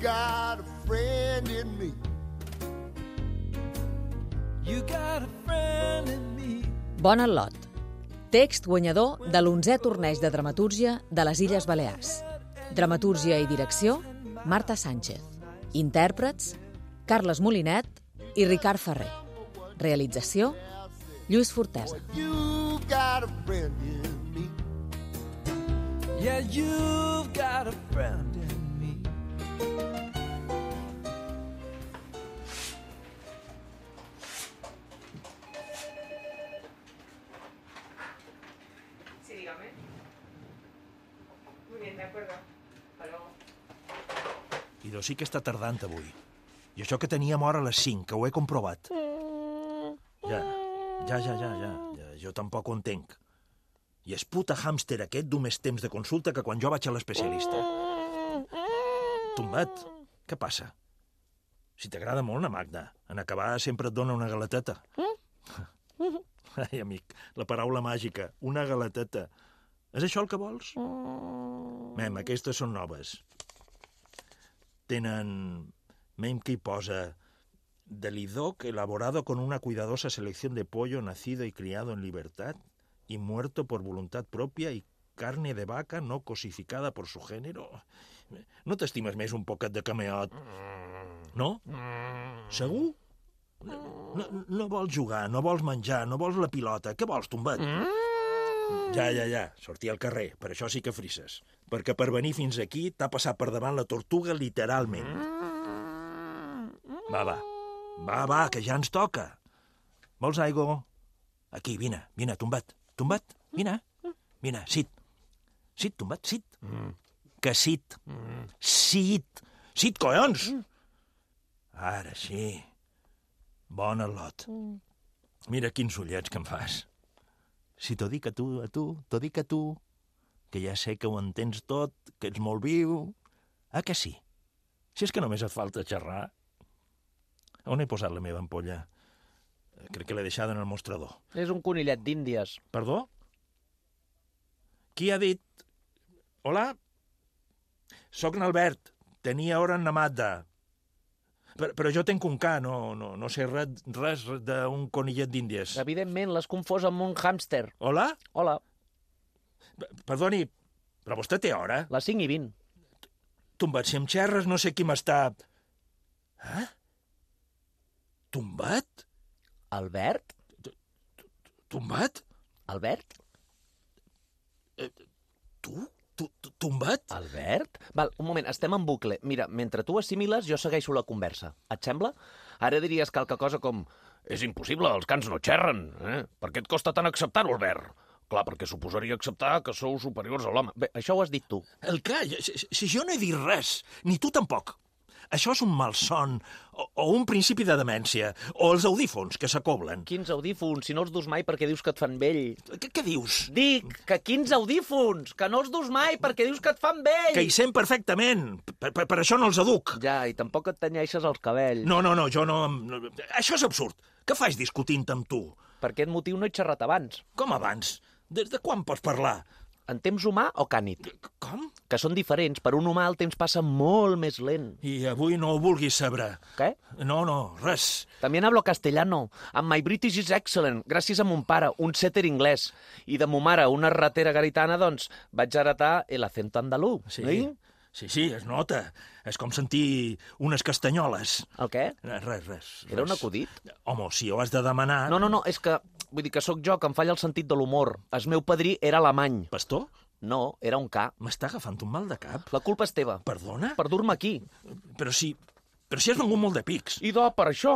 got a friend in me. You got a friend in me. Bon al·lot. Text guanyador de l'11è torneig de dramatúrgia de les Illes Balears. Dramatúrgia i direcció, Marta Sánchez. Intèrprets, Carles Molinet i Ricard Ferrer. Realització, Lluís Fortesa. You got a friend in me. Yeah, you've got a friend in me. Sí, dígame. Muy bien, de acuerdo. Hasta luego. Idò sí que està tardant avui. I això que teníem hora a les 5, que ho he comprovat. Ja. Jo tampoc ho entenc. I el puta hàmster aquest du més temps de consulta que quan jo vaig a l'especialista. Tombat, què passa? Si t'agrada molt la Magda, en acabar sempre et dona una galeteta. Ai, amic, la paraula màgica, una galeteta. És això el que vols? Mem, aquestes són noves. Tenen... Mem que hi posa... Delidoc elaborado con una cuidadosa selección de pollo nacido y criado en libertad y muerto por voluntad propia y carne de vaca no cosificada por su género. No t'estimes més un poquet de cameot? No? Segur? No vols jugar, no vols menjar, no vols la pilota. Què vols, tombat? Ja. Sortir al carrer, per això sí que frisses. Perquè per venir fins aquí t'ha passat per davant la tortuga literalment. Va, que ja ens toca. Vols aigua? Aquí, vine, tombat. Tombat, vine. Vine, sit. Sit, tombat, sit. Que sit. Sit. Sit, collons! Ara sí. Bon al·lot. Mira quins ullets que em fas. Si t'ho dic a tu, t'ho dic a tu, que ja sé que ho entens tot, que ets molt viu. Ah, que sí? Si és que només et falta xerrar. On he posat la meva ampolla? Crec que l'he deixada en el mostrador. És un conillet d'Índies. Perdó? Qui ha dit? Hola? Soc n'Albert. Tenia hora en la Magda. Però jo tenc un ca, no sé res d'un conillet d'Índies. Evidentment, l'has confós amb un hàmster. Hola? Hola, Perdoni, però vostè té hora? les 5:20. Tombat, si em xerres no sé qui m'està... Tombat? Albert? Tombat? Albert? Tu? Tombat? Albert? Val, un moment, estem en bucle. Mira, mentre tu assimiles, jo segueixo la conversa. Et sembla? Ara diries qualque cosa com... És impossible, els cans no xerren. Per què et costa tant acceptar-ho, Albert? Clar, perquè suposaria acceptar que sou superiors a l'home. Bé, això ho has dit tu. El què? Si jo no he dit res, ni tu tampoc. Això és un malson, o un principi de demència, o els audífons que s'acoblen. Quins audífons? Si no els dus mai perquè dius que et fan vell. Què dius? Dic que quins audífons? Que no els dus mai perquè dius que et fan vell. Que hi sent perfectament. Per això no els aduc. Ja, i tampoc et tenyeixes els cabells. No, jo no... Això és absurd. Què faig discutint amb tu? Per aquest motiu no he xerrat abans. Com abans? Des de quan pots parlar? En temps humà o cànid? Com? Que són diferents. Per un humà el temps passa molt més lent. I avui no ho vulguis saber. Què? No, res. También hablo castellano. And my British is excellent. Gràcies a mon pare, un setter inglès. I de mo mare, una ratera garitana, doncs vaig heretar el acento andalú. Sí, es nota. És com sentir unes castanyoles. El què? Res. Era un acudit? Home, si ho has de demanar... No, és que... Vull dir que sóc jo, que em falla el sentit de l'humor. El meu padrí era alemany. Pastor? No, era un ca. M'està agafant un mal de cap? La culpa és teva. Perdona? Per dur-me aquí. Però si has vengut molt de pics. Idò, per això...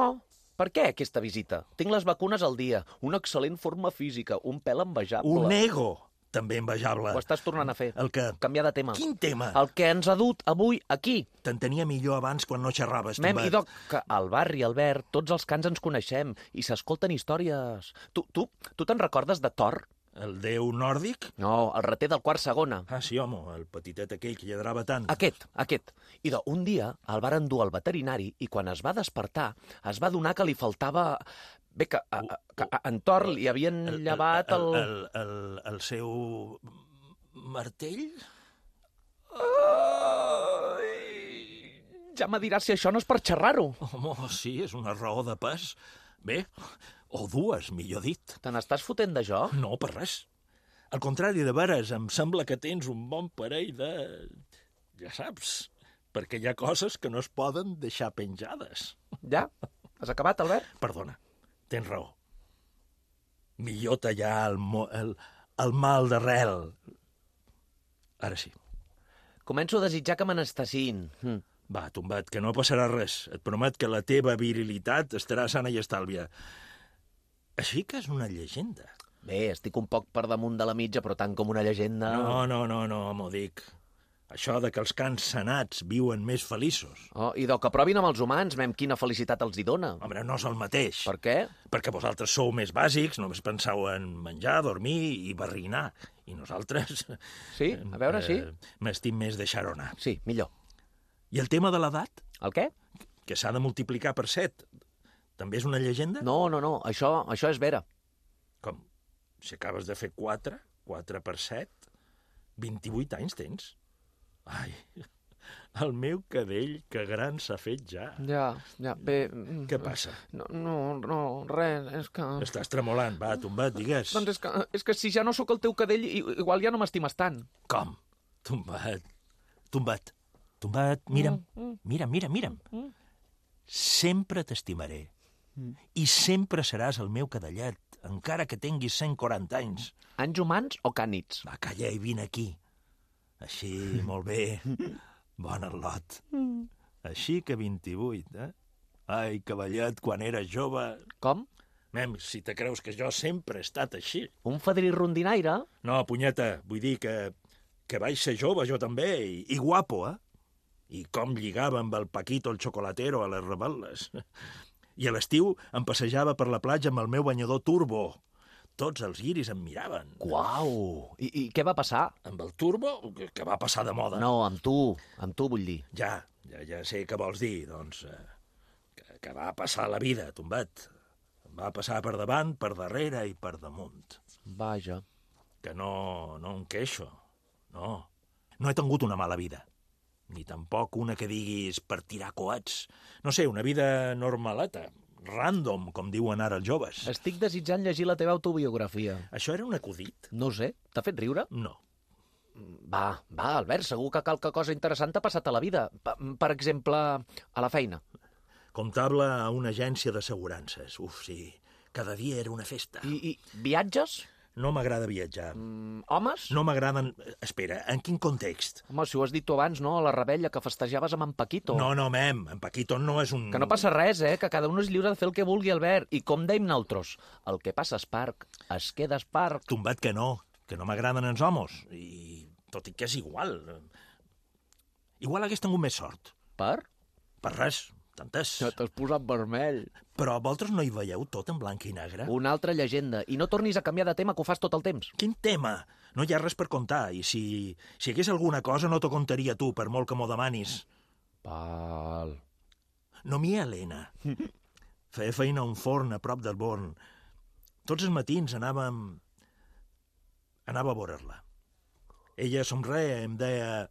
Per què aquesta visita? Tinc les vacunes al dia, una excel·lent forma física, un pèl envejable... Un ego també envejable. Ho estàs tornant a fer. El que? Canviar de tema. Quin tema? El que ens ha dut avui aquí. T'entenia millor abans quan no xerraves. Mem, idò, que al barri, Albert, tots els cans ens coneixem i s'escolten històries. Tu te'n recordes de Thor? El déu nòrdic? No, el rater del quart segona. Ah, sí, home, el petitet aquell que lladrava tant. Aquest. Idò, un dia el varen dur al veterinari i quan es va despertar es va adonar que li faltava... Bé, que en Thor li havien llevat el... El seu martell? Ja me diràs si això no és per xerrar-ho. Home, sí, és una raó de pes. Bé, o dues, millor dit. Te n'estàs fotent de jo? No, per res. Al contrari, de veres, em sembla que tens un bon parell de... Ja saps, perquè hi ha coses que no es poden deixar penjades. Ja? Has acabat, Albert? Perdona, tens raó. Millor tallar el mal d'arrel. Ara sí. Començo a desitjar que me n'estacin. Va, tombat, que no passarà res. Et promet que la teva virilitat estarà sana i estàlvia. Així que és una llegenda. Bé, estic un poc per damunt de la mitja, però tant com una llegenda... No, m'ho dic. Això de que els cans sanats viuen més feliços. Oh, i del que provin amb els humans, mem, quina felicitat els hi dona. Home, no és el mateix. Per què? Perquè vosaltres sou més bàsics, només penseu en menjar, dormir i barrinar. I nosaltres... Sí? A veure, sí. M'estim més deixar-ho anar. Sí, millor. I el tema de l'edat? El què? Que s'ha de multiplicar per 7. També és una llegenda? No, això és vera. Com? Si acabes de fer 4 per 7, 28 anys tens. Ai, el meu cadell, que gran s'ha fet ja. Ja, bé... Què passa? No, res, és que... Estàs tremolant, va, tombat, digues. Doncs és que si ja no sóc el teu cadell, igual ja no m'estimes tant. Com? Tombat, mira'm. Sempre t'estimaré. I sempre seràs el meu cadellet, encara que tinguis 140 anys. Anys humans o cànids? Va, calla i vine aquí. Així, molt bé. Bon al·lot. Així que 28, eh? Ai, cavallet, quan eres jove... Com? Mem, si te creus que jo sempre he estat així. Un fadrí rondinaire? No, punyeta, vull dir que vaig ser jove jo també, i guapo, eh? I com lligava amb el Paquito el xocolatero a les rebel·les. I a l'estiu em passejava per la platja amb el meu banyador turbo. Tots els guiris em miraven. Uau! I què va passar? Amb el turbo, que va passar de moda. No, amb tu vull dir. Ja sé què vols dir, doncs... Que va passar la vida, tombat. Em va passar per davant, per darrere i per damunt. Vaja. Que no em queixo, no. No he tingut una mala vida. Ni tampoc una que diguis per tirar coets. No sé, una vida normaleta, random, com diuen ara els joves. Estic desitjant llegir la teva autobiografia. Això era un acudit? No ho sé. T'ha fet riure? No. Va, Albert, segur que qualque cosa interessant t'ha passat a la vida. Per exemple, a la feina. Comptable a una agència d'assegurances. Uf, sí. Cada dia era una festa. I viatges? No m'agrada viatjar. Homes? No m'agraden... Espera, en quin context? Home, si ho has dit tu abans, no? A la rebella que festejaves amb en Paquito. No, mem, en Paquito no és un... Que no passa res, que cada un és lliure de fer el que vulgui, Albert. I com deim nosaltres, el que passa a Esparc, es queda a Esparc. Tombat que no m'agraden els homes. I tot i que és igual. Igual hagués tingut més sort. Per? Per res, tantes. Ja t'has posat vermell. Però vosaltres no hi veieu tot en blanc i negre? Una altra llegenda. I no tornis a canviar de tema, que ho fas tot el temps. Quin tema? No hi ha res per contar. I si hi hagués alguna cosa no t'ho contaria tu, per molt que m'ho demanis. Val. No m'hi Helena. Feia feina a un forn a prop del Born. Tots els matins anava a veure-la. Ella somreia i em deia: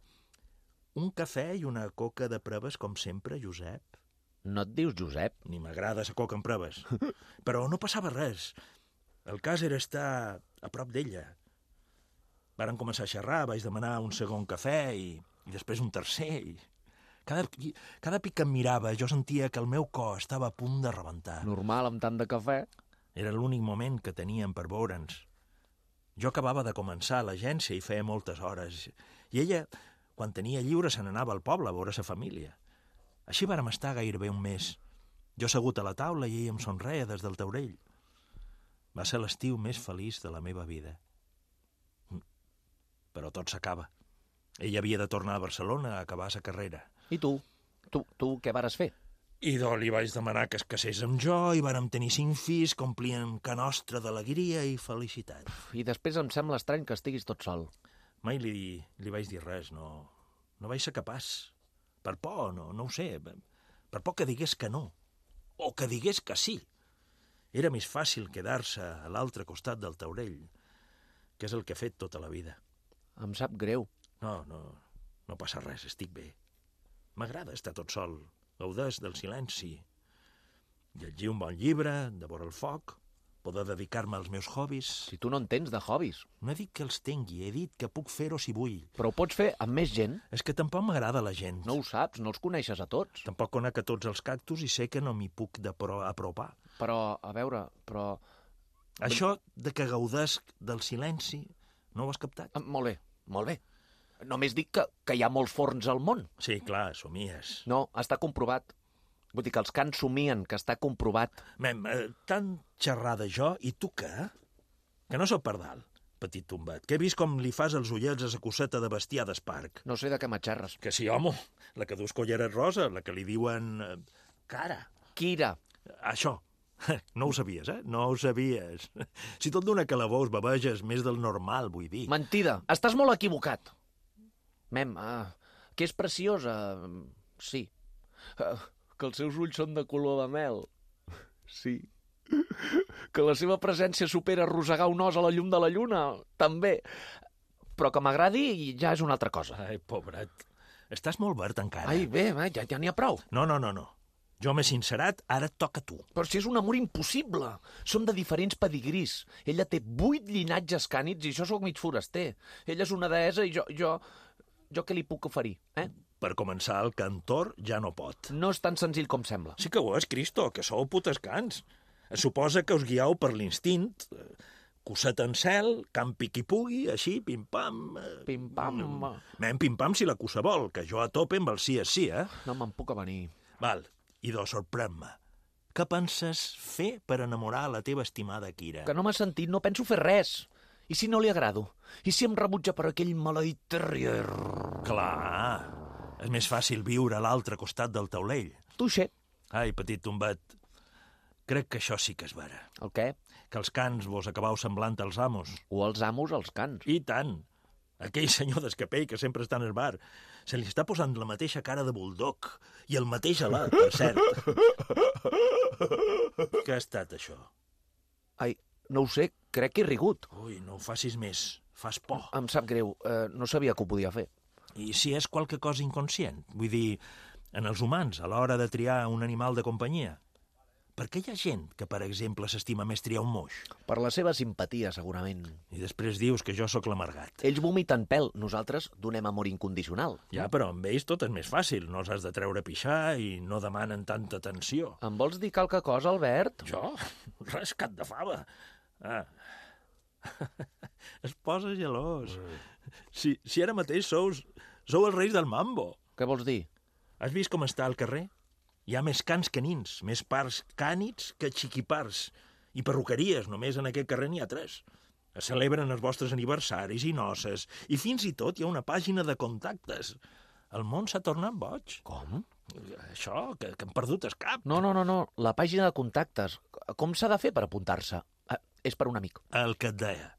un cafè i una coca de proves, com sempre, Josep. No et dius Josep? Ni m'agrada sa coca en proves. Però no passava res. El cas era estar a prop d'ella. Varen començar a xerrar, vaig demanar un segon cafè i després un tercer. I cada pic que em mirava jo sentia que el meu cor estava a punt de rebentar. Normal, amb tant de cafè. Era l'únic moment que teníem per veure'ns. Jo acabava de començar a l'agència i feia moltes hores. I ella, quan tenia lliure, se n'anava al poble a veure sa família. Així vàrem estar gairebé un mes. Jo assegut a la taula i ella em somreia des del taulell. Va ser l'estiu més feliç de la meva vida. Però tot s'acaba. Ella havia de tornar a Barcelona a acabar sa carrera. I tu? Tu què vares fer? I li vaig demanar que es casés amb jo i vàrem tenir 5 fills que omplien ca nostra d'alegria i felicitat. I després em sembla estrany que estiguis tot sol. Mai li vaig dir res, no vaig ser capaç. Per por, no ho sé, per por que digués que no, o que digués que sí. Era més fàcil quedar-se a l'altre costat del taulell, que és el que he fet tota la vida. Em sap greu. No passa res, estic bé. M'agrada estar tot sol, gaudeix del silenci. Llegir un bon llibre, devora el foc, poder dedicar-me als meus hobbies. Si tu no en tens de hobbies. No he dit que els tingui, he dit que puc fer-ho si vull. Però ho pots fer amb més gent. És que tampoc m'agrada la gent. No ho saps, no els coneixes a tots. Tampoc conec a tots els cactus i sé que no m'hi puc apropar. Però, a veure, però... Això de que gaudesc del silenci, no ho has captat? Molt bé, molt bé. Només dic que hi ha molts forns al món. Sí, clar, somies. No, està comprovat. Vull dir que els cans somien, que està comprovat. Mem, tan xerrada jo, i tu què? Que no sóc pardal, petit tombat. Que he vist com li fas els ullets a sa coseta de bestiar d'esparc. No sé de què m'atxerres. Que sí, home, la que dus colleres rosa, la que li diuen... cara. Kira. Això. No ho sabies, No ho sabies. Si tot d'una calabós baveges més del normal, vull dir. Mentida. Estàs molt equivocat. Mem, que és preciosa, sí. Que els seus ulls són de color de mel, sí. Que la seva presència supera rosegar un os a la llum de la lluna, també. Però que m'agradi ja és una altra cosa. Ai, pobret. Estàs molt verd encara. Ai, bé, ja n'hi ha prou. No. Jo m'he sincerat, ara et toca a tu. Però si és un amor impossible. Som de diferents pedigrís. Ella té 8 llinatges cànids i jo sóc mig foraster. Ella és una deessa i jo què li puc oferir, Per començar, el cantor ja no pot. No és tan senzill com sembla. Sí que ho és, Cristo, que sou putes cants. Es suposa que us guiau per l'instint. Cosset en cel, campi qui pugui, així, pim-pam... Pim-pam... Pim-pam si la cosa vol, que jo a tope amb el sí és sí, No me'n puc avenir. Val, idò, sorprèn-me. Què penses fer per enamorar la teva estimada Kira? Que no m'has sentit, no penso fer res. I si no li agrado? I si em rebutja per aquell maleït terrier? Clar, és més fàcil viure a l'altre costat del taulell. Tuixer. Ai, petit tombat, crec que això sí que és vera. El què? Que els cans vos acabau semblant als amos. O els amos als cans. I tant. Aquell senyor d'escapell que sempre està en el bar. Se li està posant la mateixa cara de bulldog i el mateix alat, per cert. Què ha estat, això? Ai, no ho sé, crec que he rigut. Ui, no ho facis més. Fas por. Em sap greu, no sabia que ho podia fer. I si és qualque cosa inconscient? Vull dir, en els humans, a l'hora de triar un animal de companyia. Per què hi ha gent que, per exemple, s'estima més triar un moix? Per la seva simpatia, segurament. I després dius que jo sóc l'amargat. Ells vomiten pèl, nosaltres donem amor incondicional. Ja, però amb ells tot és més fàcil. No els has de treure a pixar i no demanen tanta atenció. Em vols dir qualque cosa, Albert? Jo? Res, cap de fava. Es posa gelós. Si ara mateix sou els reis del mambo. Què vols dir? Has vist com està al carrer? Hi ha més cans que nins, més parts cànids que xiquipars. I perruqueries, només en aquest carrer n'hi ha 3. Es celebren els vostres aniversaris i noces, i fins i tot hi ha una pàgina de contactes. El món s'ha tornat boig. Com? Això, que hem perdut el cap. No, la pàgina de contactes. Com s'ha de fer per apuntar-se? És per un amic. El que et deia.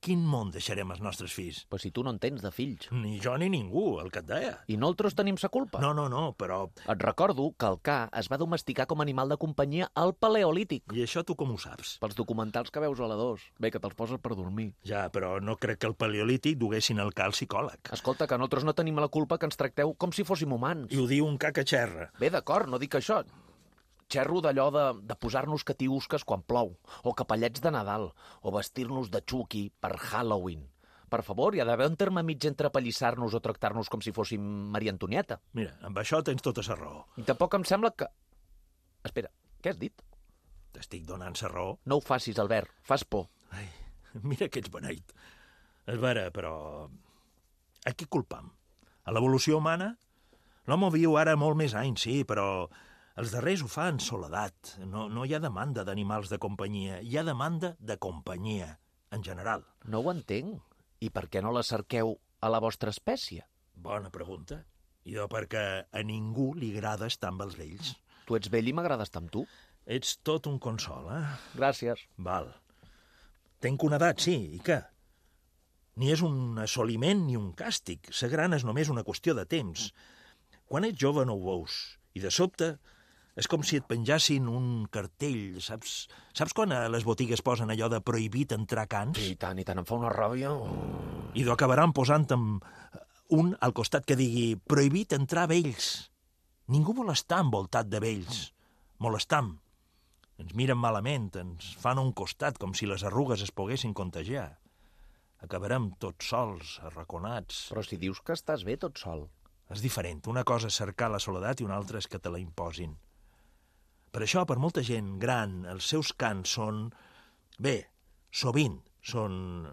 Quin món deixarem als nostres fills? Però si tu no en tens de fills. Ni jo ni ningú, el que et deia. I nosaltres tenim sa culpa. No, però... Et recordo que el ca es va domesticar com a animal de companyia al Paleolític. I això tu com ho saps? Pels documentals que veus a la 2. Bé, que te'ls poses per dormir. Ja, però no crec que el Paleolític duguessin el ca al psicòleg. Escolta, que nosaltres no tenim la culpa que ens tracteu com si fóssim humans. I ho diu un ca que xerra. Bé, d'acord, no dic això. Xerro d'allò de posar-nos catiusques quan plou, o capellets de Nadal, o vestir-nos de Chucky per Halloween. Per favor, hi ha d'haver un terme mig entre apallissar-nos o tractar-nos com si fóssim Maria Antonieta. Mira, amb això tens tota la raó. I tampoc em sembla que... Espera, què has dit? T'estic donant la raó. No ho facis, Albert, fas por. Ai, mira que ets beneit. És vera, però... A qui culpam? A l'evolució humana? L'home viu ara molt més anys, sí, però... Els darrers ho fan soledat. No hi ha demanda d'animals de companyia. Hi ha demanda de companyia, en general. No ho entenc. I per què no la cerqueu a la vostra espècie? Bona pregunta. I perquè a ningú li agrada estar amb els vells. Tu ets vell i m'agrada estar amb tu. Ets tot un consol, Gràcies. Val. Tenc una edat, sí, i què? Ni és un assoliment ni un càstig. Ser gran és només una qüestió de temps. Quan ets jove no ho veus. I de sobte... És com si et penjassin un cartell, saps? Saps quan a les botigues posen allò de prohibit entrar cans? I tant, em fa una ràbia. I acabaran posant un al costat que digui prohibit entrar vells. Ningú vol estar envoltat de vells. Molestam. Ens miren malament, ens fan a un costat, com si les arrugues es poguessin contagiar. Acabarem tots sols, arraconats. Però si dius que estàs bé tot sol. És diferent. Una cosa és cercar la soledat i una altra és que te la imposin. Per això, per molta gent gran, els seus cants són... Bé, sovint són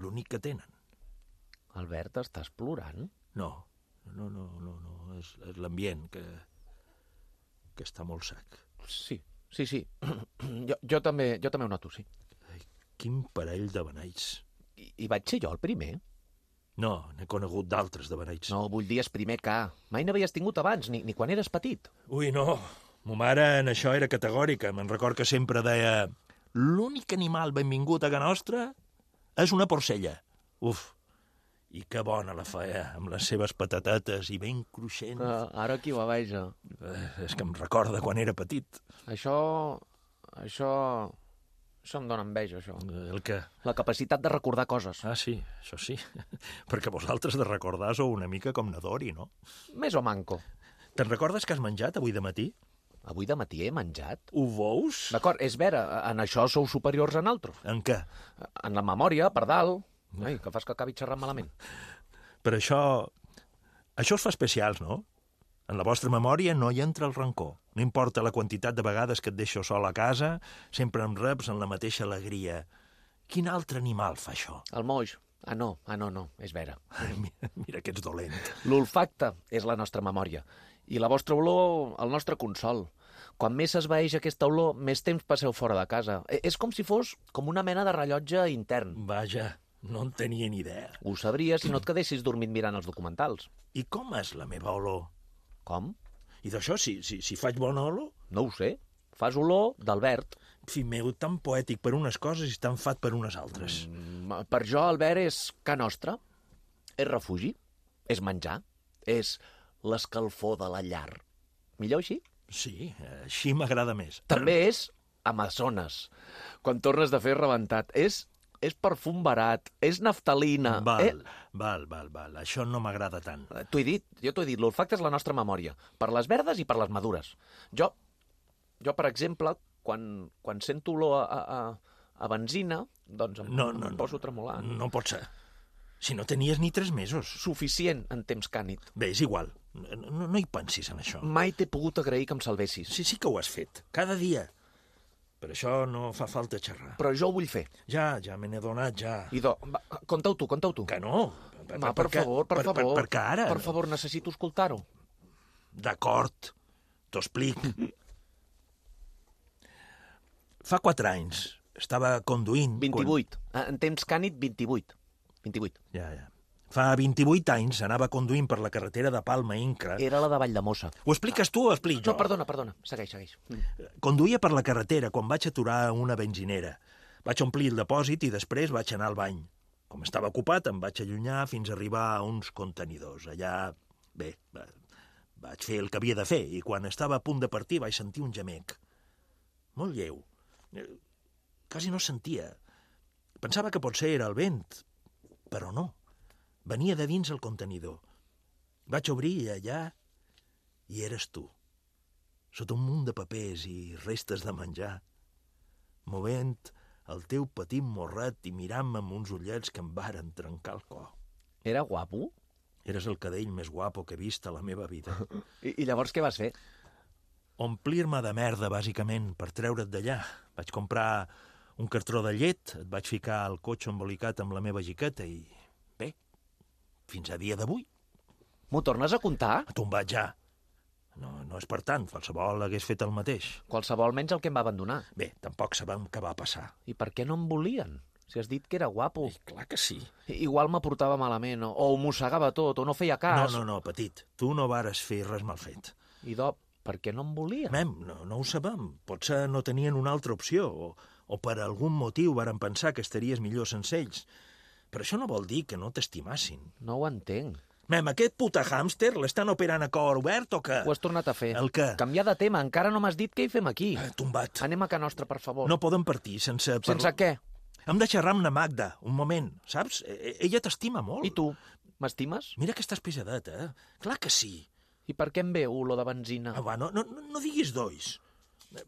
l'únic que tenen. Albert, estàs plorant? No. És l'ambient que està molt sec. Sí. Jo també ho noto, sí. Quin parell de beneits. I vaig ser jo el primer? No, n'he conegut d'altres de beneits. No, vull dir, és primer que... Mai n'havies tingut abans, ni quan eres petit. Ui, no. Mo mare en això era categòrica. Me'n record que sempre deia l'únic animal benvingut a casa nostra és una porcella. Uf, i que bona la feia, amb les seves patatetes i ben cruixents. Ara qui va veja. És que em recorda quan era petit. Això em dóna enveja, això. El què? La capacitat de recordar coses. Ah, sí, això sí. Perquè vosaltres de recordar sou una mica com Nadori, no? Més o manco. Te'n recordes que has menjat avui de matí? Avui de matí he menjat. Ho veus? D'acord, és vera, en això sou superiors a naltros. En què? En la memòria, per dalt. Ai, que fas que acabi xerrant malament. Per això us fa especials, no? En la vostra memòria no hi entra el rancor. No importa la quantitat de vegades que et deixo sol a casa, sempre em reps en la mateixa alegria. Quin altre animal fa això? El moix. Ah, no, és vera. Ai, mira que ets dolent. L'olfacte és la nostra memòria. I la vostra olor, el nostre consol. Quan més s'esvaeix aquesta olor, més temps passeu fora de casa. És com si fos com una mena de rellotge intern. Vaja, no en tenia ni idea. Ho sabries si no et quedessis dormint mirant els documentals. I com és la meva olor? Com? I d'això, si faig bona olor? No ho sé. Fas olor d'Albert. Fill meu, tan poètic per unes coses i tan fat per unes altres. Per jo, Albert, és ca nostra. És refugi. És menjar. És l'escalfor de la llar. Millor així? Sí, així m'agrada més. També és Amazones. Quan tornes de fer rebentat. És perfum barat. És naftalina. Val. Això no m'agrada tant. Jo t'ho he dit, l'olfacte és la nostra memòria. Per les verdes i per les madures. Jo per exemple, quan sento olor a benzina, doncs em poso a tremolar. No pot ser. Si no tenies ni 3 mesos. Suficient en temps cànid. Bé, és igual. No hi pensis en això. Mai t'he pogut agrair que em salvessis. Sí que ho has fet. Cada dia. Per això no fa falta xerrar. Però jo ho vull fer. Ja me n'he donat, ja. Idò, conta-ho tu. Que no. Per favor. Perquè ara... Per favor, necessito escoltar-ho. D'acord. T'ho explic. Fa 4 anys estava conduint... 28. En temps cànid, 28. Ja. Fa 28 anys anava conduint per la carretera de Palma Incra. Era la de Valldemossa. Ho expliques tu o ho explic jo? No, perdona. Segueix. Conduïa per la carretera quan vaig aturar a una benzinera. Vaig omplir el depòsit i després vaig anar al bany. Com estava ocupat, em vaig allunyar fins a arribar a uns contenidors. Allà, bé, vaig fer el que havia de fer i quan estava a punt de partir vaig sentir un gemec. Molt lleu. Quasi no sentia. Pensava que potser era el vent, però no. Venia de dins el contenidor. Vaig obrir i allà hi eres tu, sota un munt de papers i restes de menjar, movent el teu petit morret i mirant-me amb uns ullets que em varen trencar el cor. Era guapo? Eres el cadell més guapo que he vist a la meva vida. I llavors què vas fer? Omplir-me de merda, bàsicament, per treure't d'allà. Vaig comprar un cartró de llet, et vaig ficar al cotxe embolicat amb la meva jiqueta i... bé, fins a dia d'avui. M'ho tornes a contar? A tombat ja. No és per tant, qualsevol hagués fet el mateix. Qualsevol menys el que em va abandonar. Bé, tampoc sabem què va passar. I per què no em volien? Si has dit que era guapo. I clar que sí. Igual me portava malament, o ho mossegava tot, o no feia cas. No, petit. Tu no vares fer res mal fet. Idò, per què no em volien? No ho sabem. Potser no tenien una altra opció, o per algun motiu varen pensar que estaries millor sense ells. Però això no vol dir que no t'estimassin. No ho entenc. Aquest puta hàmster l'estan operant a cor obert o què? Ho has tornat a fer. El què? Canviar de tema, encara no m'has dit què hi fem aquí. Tombat. Anem a ca nostra, per favor. No podem partir sense... Sense què? Hem de xerrar amb na Magda, un moment, saps? Ella t'estima molt. I tu? M'estimes? Mira que estàs pesadet, Clar que sí. I per què em ve olor de benzina? Va, no diguis dois.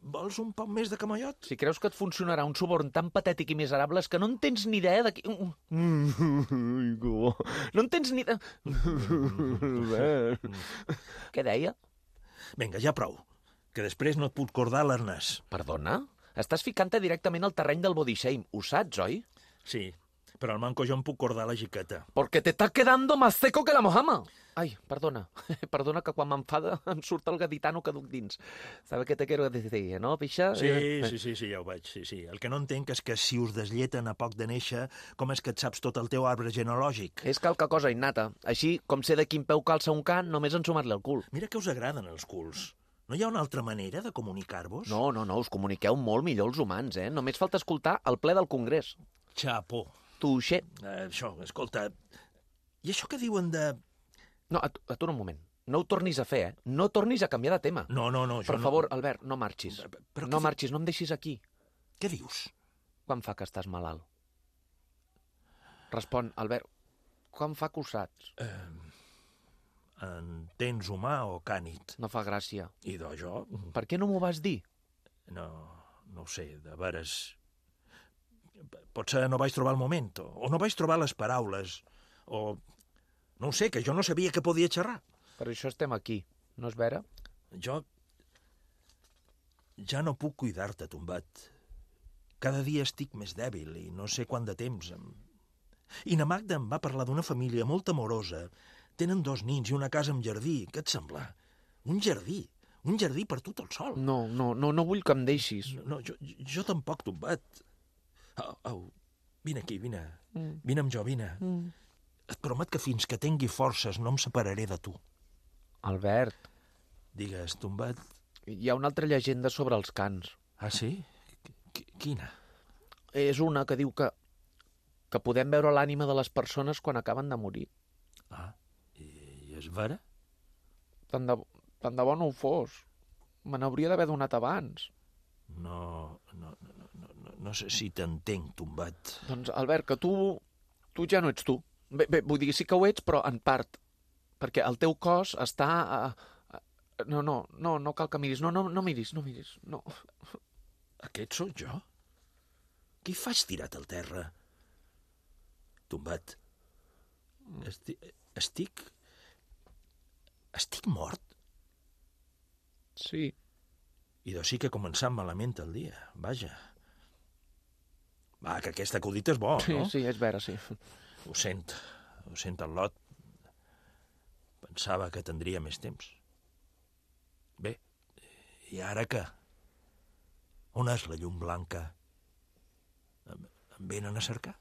Vols un poc més de camallot? Si creus que et funcionarà un suborn tan patètic i miserable és que no en tens ni idea de qui... No en tens ni idea... Què deia? Vinga, ja prou, que després no et puc cordar l'arnàs. Perdona? Estàs ficant-te directament al terreny del body shame. Ho saps, oi? Sí, però al manco jo em puc cordar la jiqueta. Porque te está quedando más seco que la mojama. Ai, perdona. Perdona que quan m'enfada em surt el gaditano que duc dins. Sabe què te quiero decir, no, pixa? Sí, ja ho veig, sí. El que no entenc és que si us desleten a poc de néixer, com és que et saps tot el teu arbre genealògic? És calca cosa innata. Així, com sé de quin peu calça un can, només ensumat-li el cul. Mira que us agraden els culs. No hi ha una altra manera de comunicar-vos? No, us comuniqueu molt millor els humans, eh? Només falta escoltar el ple del Congrés. Xapó. Tuixer. Això, escolta, i això que diuen de... No, atura un moment. No ho tornis a fer, eh? No tornis a canviar de tema. No, Per favor, Albert, no marxis. Però no marxis, no em deixis aquí. Què dius? Quan fa que estàs malalt? Respon, Albert, quan fa que ho saps? En tens humà o cànid? No fa gràcia. I de jo? Per què no m'ho vas dir? No ho sé, de veres... Potser no vaig trobar el moment, o no vaig trobar les paraules, o... No ho sé, que jo no sabia que podia xerrar. Per això estem aquí, no és vera? Jo... Ja no puc cuidar-te, tombat. Cada dia estic més dèbil i no sé quant de temps. I na Magda em va parlar d'una família molt amorosa. Tenen 2 nins i una casa amb jardí. Què et sembla? Un jardí per tu tot sol. No vull que em deixis. No, jo tampoc, tombat. Au, vine aquí, vine. Vine amb jo, vine. Et promet que fins que tingui forces no em separaré de tu. Albert. Digues, tombat. Hi ha una altra llegenda sobre els cans. Ah, sí? Quina? És una que diu que podem veure l'ànima de les persones quan acaben de morir. Ah, i és vera? Tant de bo no ho fos. Me n'hauria d'haver donat abans. No sé si t'entenc, tombat. Doncs, Albert, que tu ja no ets tu. Bé, vull dir, sí que ho ets, però en part. Perquè el teu cos està... No cal que miris. No miris. No. Aquest sóc jo? Qui faig tirat al terra? Tombat. Estic mort? Sí. I doncs sí que ha començat malament el dia, vaja. Va, que aquest acudit és bo, no? Sí, és vera, sí. Ho sent el Lot. Pensava que tindria més temps. Bé, i ara què? On és la llum blanca? Em venen a cercar?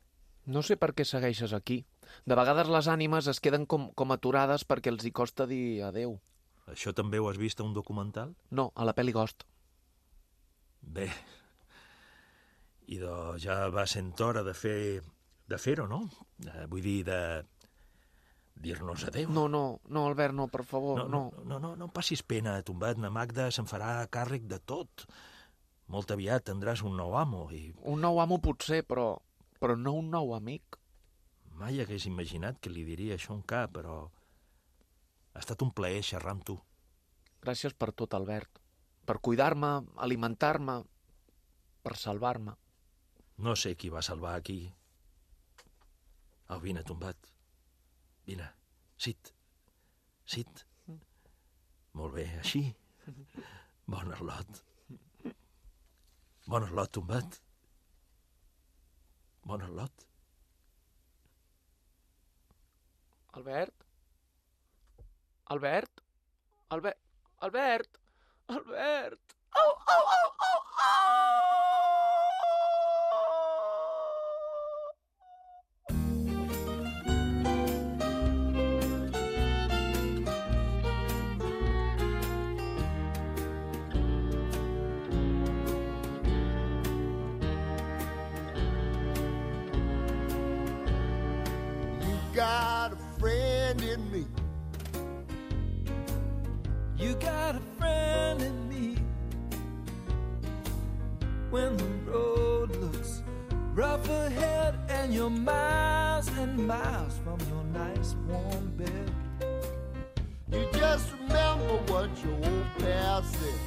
No sé per què segueixes aquí. De vegades les ànimes es queden com aturades perquè els hi costa dir adeu. Això també ho has vist a un documental? No, a la pel·li Ghost. Bé, i doncs ja va sent hora de fer-ho, no? Vull dir, de dir-nos adeu. No, Albert, no, per favor, no. No passis pena, tombat. Na Magda se'n farà càrrec de tot. Molt aviat tindràs un nou amo i... Un nou amo potser, però no un nou amic. Mai hagués imaginat que li diria això a un cap, però ha estat un plaer xerrar amb tu. Gràcies per tot, Albert. Per cuidar-me, alimentar-me, per salvar-me. No sé qui va salvar aquí. Au, vine, tombat. Vine, sit. Molt bé, així. Bon arlot. Bon arlot, tombat. Bon arlot. Albert? Au! Got a friend in me. You got a friend in me. When the road looks rough ahead and you're miles and miles from your nice warm bed, You just remember I said,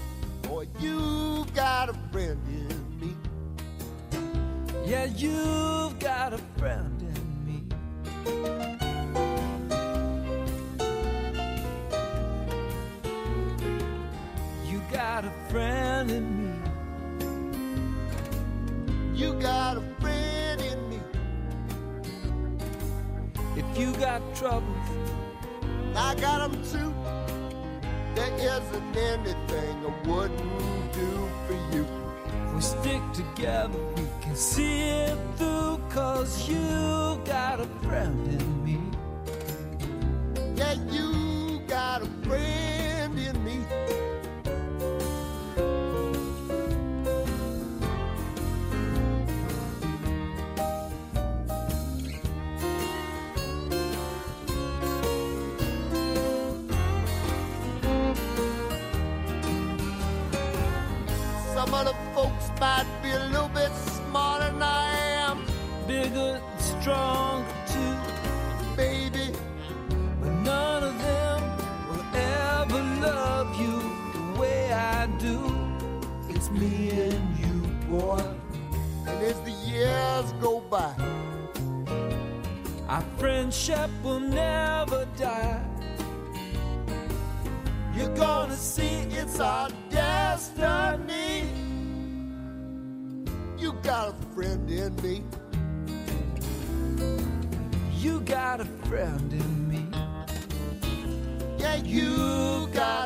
boy, you got a friend in me. Yeah, you've got a friend in me. You got a friend in me. You got a friend in me. If you got troubles, I got them too. There isn't anything I wouldn't do for you. if we stick together, we can see it through. 'Cause you got a friend in me. Yeah, you got a friend in me. Some of the folks might be a little bit smarter than I am, Bigger and stronger too. baby. But none of them will ever love you the way I do. It's me and you, boy. And as the years go by, Our friendship will never die. you're gonna see it's our destiny. You got a friend in me. You got a friend in me. Yeah, you got